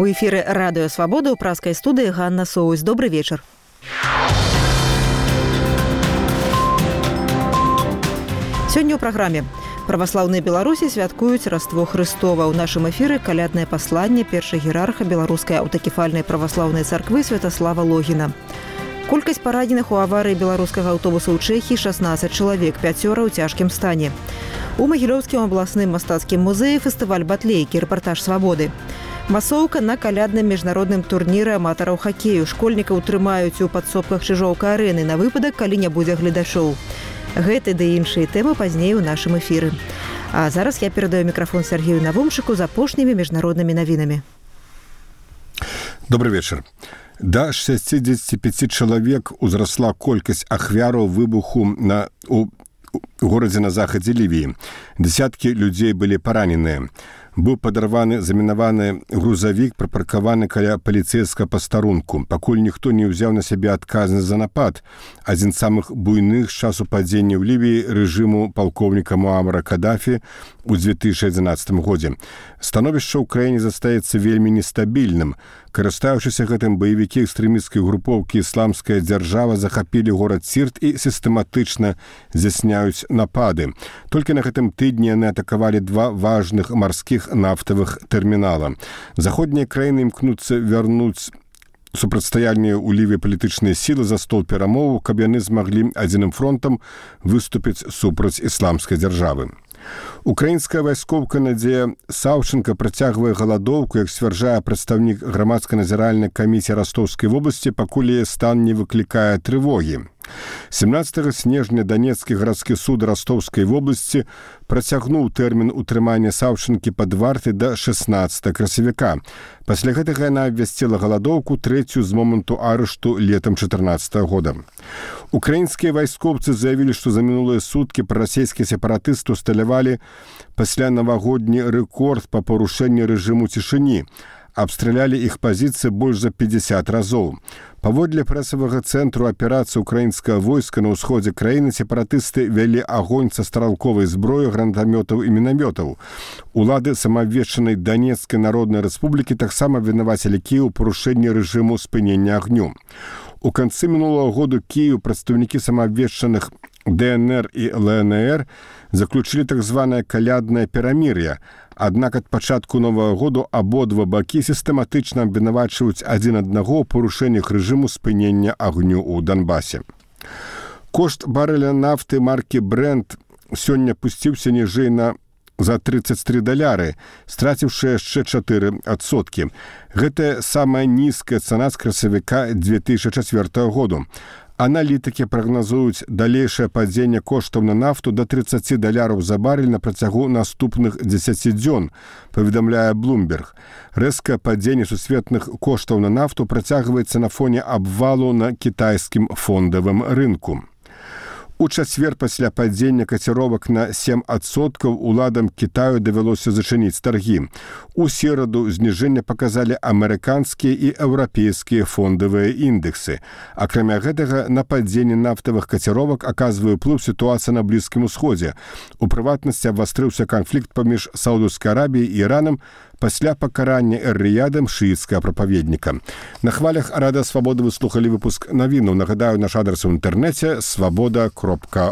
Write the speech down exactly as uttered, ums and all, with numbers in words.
У эфіры радыё Свабода ў праскай студыі Ганна Соусь. Добры вечар. Сёння ў праграме. Праваслаўныя Беларусі святкуюць Раство Хрыстова. У нашым эфіры каляднае пасланне першай герарха беларускай аўтакефальнай праваслаўнай царквы Святаслава Логіна. Колькасць параненых у аварыі беларускага аўтобуса ў Чэхіі шаснаццаць чалавек, пяцёра ў цяжкім стане. У Магілёўскім абласным мастацкім музеі фестываль батлейкі, рэпартаж Свабоды. Масоўка на калядным міжнародным турніры аматараў хакею. Школьнікаў трымаюць у падсобках Чыжоўка-арэны на выпадак, калі не будзе гледачоў. Гэты ды іншыя тэмы пазней у нашым эфіры. А зараз я перадаю мікрафон Сергею Навумчыку з апошнімі міжнароднымі навінамі. Добрый вечар. Да шестидесяти пяти чалавек узрасла колькасць ахвяраў выбуху на, у, у горадзе на захадзе Лівіі. Десяткі людзей былі параненыя. Быў падарваны замінаваны грузавік, прыпаркаваны каля паліцэйскага пастарунку. Пакуль ніхто не ўзяў на сябе адказнасць за напад, адзін з самых буйных з часу падзення ў Лівіі рэжыму палкоўніка Муамара Кадафі ў две тысячы адзінаццатым годзе. Становішча ў краіне застаецца вельмі нестабільным. Карыстаючыся гэтым, баевікі экстрэмісцкай групоўкі «Ісламская дзяржава» захапілі горад Сірт і сістэматычна здзяйсняюць напады. Толькі на гэтым тыдні яны атакавалі два важных марскіх нафтавых тэрмінала. Заходнія краіны імкнуцца вярнуць супрацьстаянне ў Лівіі палітычныя сілы за стол перамоваў, каб яны змаглі адзіным фронтам выступіць супраць ісламскай дзяржавы. Украінская вайскоўка Надзея Саўченка працягвае галадоўку, як сцвярджае прадстаўнік грамадска-назіральнай камісіі Растоўскай вобласці, пакуль яе стан не выклікае трывогі. семнадцатага снежня Данецкі гарадскі суд Растоўскай вобласці працягнуў тэрмін утрымання Саўченкі пад вартай да шаснаццатага красавіка. Пасля гэтага яна абвясціла галадоўку, трэцюю з моманту арышту летам чатырнаццатага года. Украінскія вайскоўцы заявілі, што за мінулыя суткі прарасійскія сепаратысты усталявалі пасля навагодні рэкорд па парушэнні рэжыму цішыні. Абстралялі іх пазіцыі больш за пятьдесят разоў. Паводле прэсавага цэнтру аперацыі украінскага войска на ўсходзе краіны сепаратысты вялі агонь са стралковай зброі, гранатамётаў і мінамётаў. Улады самаабвешчанай Данецкай народнай рэспублікі таксама вінавацілі Кіеў у парушэнні рэжыму спынення агню. У канцы мінулага году Кіеў прадстаўнікі самаабвешчаных дэ эн эр і эл эн эр заключылі так званае каляднае перамір'е. Аднак ад пачатку новага году абодва бакі сістэматычна абвінавачваюць адзін аднаго ў парушэннях рэжыму спынення агню ў Донбасе. Кошт барэля нафты маркі Brent сёння пусціўся ніжэй на за тридцать три даляры, страціўшы яшчэ чатыры адсоткі. Гэта самая нізкая цана з красавіка две тысячи чацвёртага году. Аналітыкі прагназуюць далейшае падзенне коштаў на нафту да тридцати даляраў за барель на працягу наступных дзесяці дзён, паведамляе Bloomberg. Рэзкае падзенне сусветных коштаў на нафту працягваецца на фоне абвалу на кітайскім фондавым рынку. У чацвер пасля падзення каціровак на сем адсоткаў уладам Кітаю давялося зачыніць таргі. У сераду зніжэнне паказалі амерыканскія і еўрапейскія фондавыя індексы. Акрамя гэтага, на падзенне нафтавых каціровак аказвае ўплыў сітуацыя на Блізкім Усходзе. У прыватнасці абвастрыўся канфлікт паміж Саудаўскай Арабіяй і Іранам пасля пакарання эр-Рыядам шыіцкага прапаведніка. На хвалях Радыё Свабода вы слухалі выпуск навінаў. Нагадаю, наш адрас у інтэрнэце свабода кропка